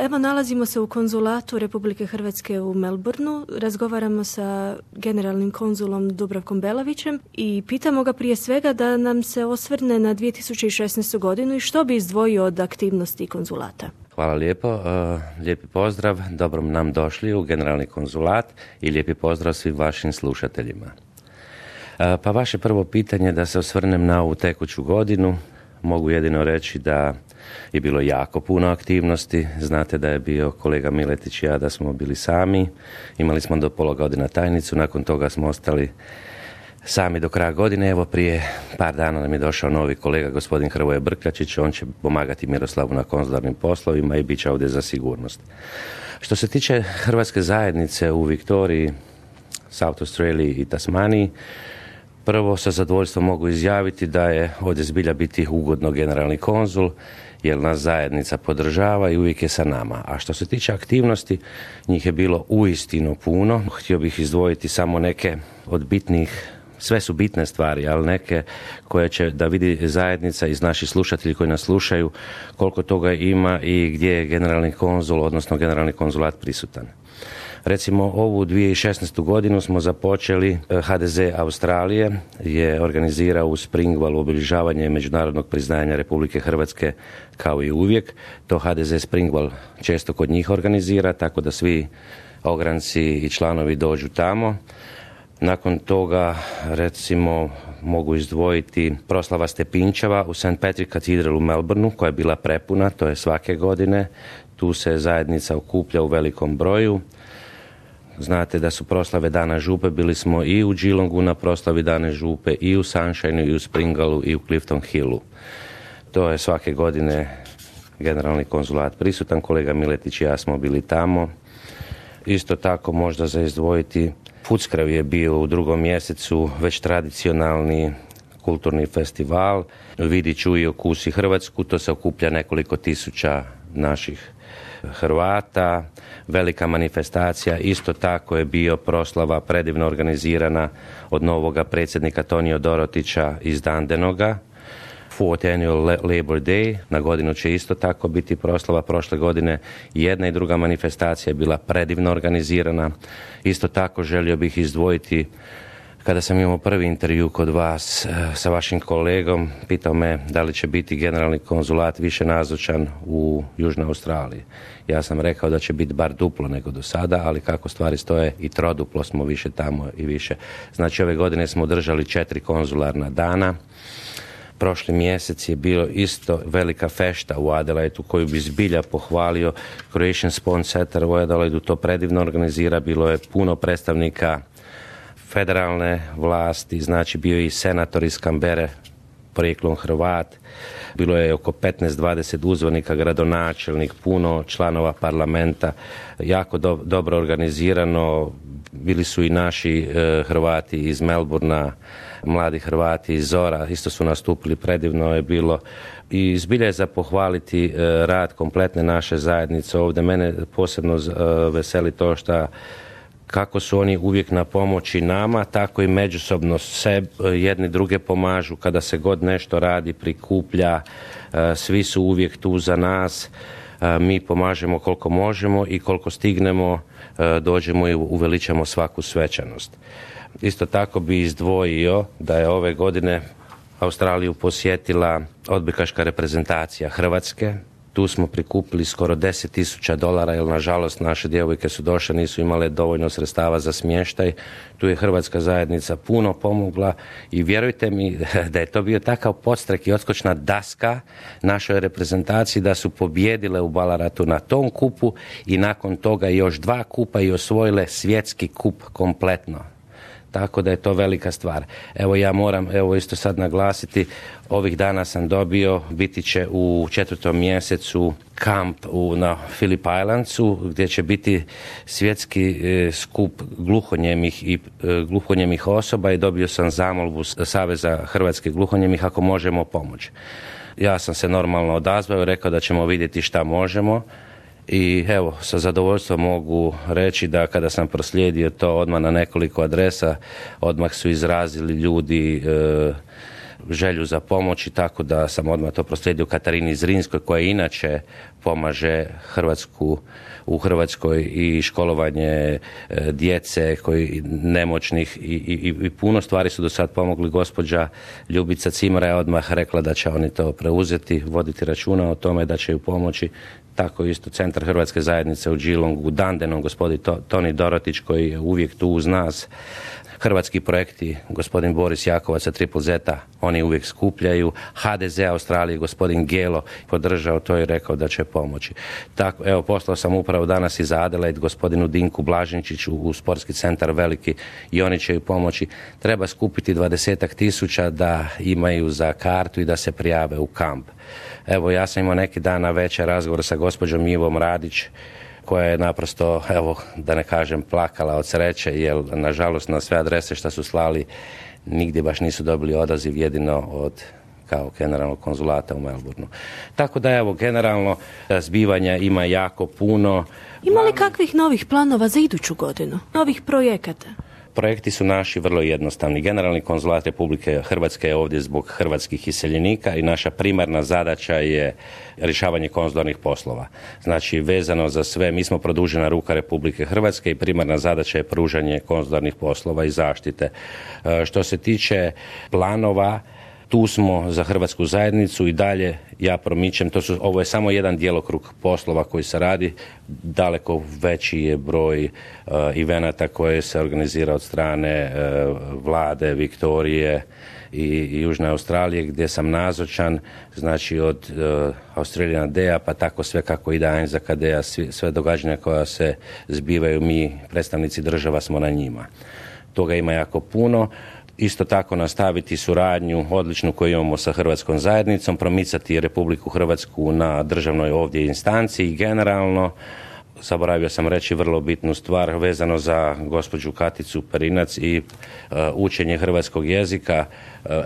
Evo, nalazimo se u konzulatu Republike Hrvatske u Melbourneu, razgovaramo sa generalnim konzulom Dubravkom Belavićem i pitamo ga prije svega da nam se osvrne na 2016. godinu i što bi izdvojio od aktivnosti konzulata. Hvala lijepo, lijepi pozdrav, dobro nam došli u generalni konzulat i lijepi pozdrav svim vašim slušateljima. Pa vaše prvo pitanje da se osvrnem na ovu tekuću godinu, mogu jedino reći da je bilo jako puno aktivnosti. Znate da je bio kolega Miletić i ja da smo bili sami. Imali smo do pola godina tajnicu, nakon toga smo ostali sami do kraja godine. Evo prije par dana nam je došao novi kolega, gospodin Hrvoje Brkljačić. On će pomagati Miroslavu na konzularnim poslovima i bit će ovdje za sigurnost. Što se tiče hrvatske zajednice u Viktoriji, South Australiji i Tasmaniji, prvo sa zadovoljstvom mogu izjaviti da je ovdje zbilja biti ugodno generalni konzul, jer nas zajednica podržava i uvijek je sa nama. A što se tiče aktivnosti, njih je bilo uistinu puno. Htio bih izdvojiti samo neke od bitnih, sve su bitne stvari, ali neke koje će da vidi zajednica iz naših slušatelji koji nas slušaju koliko toga ima i gdje je generalni konzul, odnosno generalni konzulat prisutan. Recimo, ovu 2016. godinu smo započeli, HDZ Australije je organizirao u Springvallu obilježavanje međunarodnog priznanja Republike Hrvatske kao i uvijek. To HDZ Springvall često kod njih organizira, tako da svi ogranci i članovi dođu tamo. Nakon toga, recimo, mogu izdvojiti proslava Stepinčeva u St. Patrick Cathedral u Melbourneu, koja je bila prepuna, to je svake godine. Tu se zajednica okuplja u velikom broju. Znate da su proslave Dana župe, bili smo i u Geelongu na proslavi Dane župe, i u Sunshineu, i u Springvallu, i u Clifton Hillu. To je svake godine generalni konzulat prisutan, kolega Miletić i ja smo bili tamo. Isto tako možda za izdvojiti, Footscray je bio u 2. mjesecu već tradicionalni kulturni festival. Vidi, čuj, okusi Hrvatsku, to se okuplja nekoliko tisuća naših Hrvata, velika manifestacija. Isto tako je bio proslava predivno organizirana od novoga predsjednika Tonija Dorotića iz Dandenoga. 4th Annual Labor Day, na godinu će isto tako biti proslava. Prošle godine jedna i druga manifestacija je bila predivno organizirana. Isto tako želio bih izdvojiti, kada sam imao prvi intervju kod vas sa vašim kolegom, pitao me da li će biti generalni konzulat više nazočan u Južnoj Australiji. Ja sam rekao da će biti bar duplo nego do sada, ali kako stvari stoje i troduplo smo više tamo i više. Znači, ove godine smo održali 4 konzularna dana. Prošli mjesec je bio isto velika fešta u Adelaidu koju bi zbilja pohvalio. Croatian Sport Center u Adelaidu to predivno organizira. Bilo je puno predstavnika federalne vlasti, znači bio je i senator iz Canberre, porijeklom Hrvat. Bilo je oko 15-20 uzvanika, gradonačelnik, puno članova parlamenta, jako dobro organizirano. Bili su i naši Hrvati iz Melbournea, mladi Hrvati iz Zora, isto su nastupili, predivno je bilo. I zbilja je za pohvaliti rad kompletne naše zajednice ovdje. Mene posebno veseli to što kako su oni uvijek na pomoći nama, tako i međusobno jedni druge pomažu kada se god nešto radi, prikuplja, svi su uvijek tu za nas, mi pomažemo koliko možemo i koliko stignemo dođemo i uveličamo svaku svečanost. Isto tako bi izdvojio da je ove godine Australiju posjetila odbojkaška reprezentacija Hrvatske. Tu smo prikupili skoro $10,000, jer nažalost naše djevojke su došle, nisu imale dovoljno sredstava za smještaj. Tu je hrvatska zajednica puno pomogla i vjerujte mi da je to bio takav podstrek i odskočna daska našoj reprezentaciji da su pobjedile u Balaratu na tom kupu i nakon toga još 2 kupa i osvojile svjetski kup kompletno. Tako da je to velika stvar. Evo ja moram isto sad naglasiti, ovih dana sam dobio, biti će u 4. mjesecu kamp na Phillip Islandsu gdje će biti svjetski skup gluhonjemih osoba i dobio sam zamolbu Saveza Hrvatskih gluhonjemih ako možemo pomoći. Ja sam se normalno odazvao i rekao da ćemo vidjeti šta možemo. I evo, sa zadovoljstvom mogu reći da kada sam proslijedio to odmah na nekoliko adresa, odmah su izrazili ljudi želju za pomoć i tako da sam odmah to proslijedio Katarini Zrinskoj koja inače pomaže u Hrvatskoj i školovanje djece koji nemoćnih i puno stvari su do sad pomogli. Gospođa Ljubica Cimra je odmah rekla da će oni to preuzeti, voditi računa o tome, da će ju pomoći. Tako isto Centar Hrvatske zajednice u Geelongu, u Dandenom, gospodin Toni Dorotić koji je uvijek tu uz nas. Hrvatski projekti, gospodin Boris Jakovac sa Triple Z, oni uvijek skupljaju. HDZ Australije, gospodin Gelo podržao to i rekao da će pomoći. Tako, evo, poslao sam upravo danas iz Adelaide gospodinu Dinku Blažinčiću u sportski centar veliki i oni će ju pomoći. Treba skupiti 20.000 da imaju za kartu i da se prijave u kamp. Evo, ja sam imao neki dan na večer razgovor sa gospođom Ivom Radić, koja je naprosto, evo, da ne kažem, plakala od sreće, jer nažalost na sve adrese što su slali nigdje baš nisu dobili odaziv, jedino od kao generalnog konzulata u Melbourneu. Tako da, evo, generalno zbivanja ima jako puno. Ima li kakvih novih planova za iduću godinu? Novih projekata? Projekti su naši vrlo jednostavni. Generalni konzulat Republike Hrvatske je ovdje zbog hrvatskih iseljenika i naša primarna zadaća je rješavanje konzularnih poslova. Znači, vezano za sve, mi smo produžena ruka Republike Hrvatske i primarna zadaća je pružanje konzularnih poslova i zaštite. Što se tiče planova, tu smo za hrvatsku zajednicu i dalje ja promičem, ovo je samo jedan djelokrug poslova koji se radi, daleko veći je broj evenata koje se organizira od strane vlade Viktorije i Južne Australije gdje sam nazočan, znači od Australian Day-a pa tako sve kako ide Anzac Day-a, sve događanja koja se zbivaju, mi predstavnici država smo na njima. Toga ima jako puno. Isto tako nastaviti suradnju odličnu koju imamo sa Hrvatskom zajednicom, promicati Republiku Hrvatsku na državnoj ovdje instanciji i generalno, zaboravio sam reći vrlo bitnu stvar vezano za gospođu Katicu Perinac i učenje hrvatskog jezika.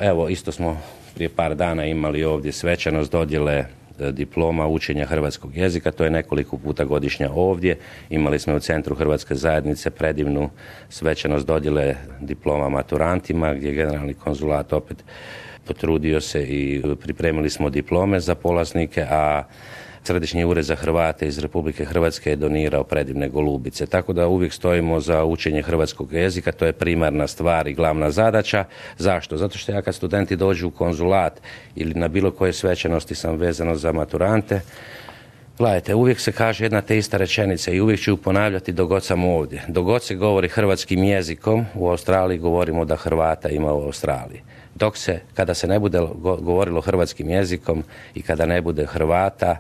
Evo, isto smo prije par dana imali ovdje svečanost dodjele diploma učenja hrvatskog jezika, to je nekoliko puta godišnja ovdje. Imali smo u Centru Hrvatske zajednice predivnu svečanost dodjele diploma maturantima, gdje je generalni konzulat opet potrudio se i pripremili smo diplome za polaznike, a Središnji ured za Hrvate iz Republike Hrvatske je donirao predivne golubice. Tako da uvijek stojimo za učenje hrvatskog jezika, to je primarna stvar i glavna zadaća. Zašto? Zato što ja kad studenti dođu u konzulat ili na bilo koje svečanosti sam vezano za maturante, gledajte, uvijek se kaže jedna te ista rečenica i uvijek ću ju ponavljati dok god sam ovdje. Dok god se govori hrvatskim jezikom, u Australiji govorimo da Hrvata ima u Australiji. Kada se ne bude govorilo hrvatskim jezikom i kada ne bude Hrvata,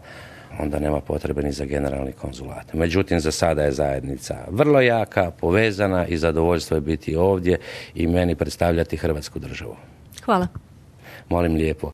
onda nema potrebe ni za generalni konzulat. Međutim, za sada je zajednica vrlo jaka, povezana i zadovoljstvo je biti ovdje i meni predstavljati Hrvatsku državu. Hvala. Molim lijepo.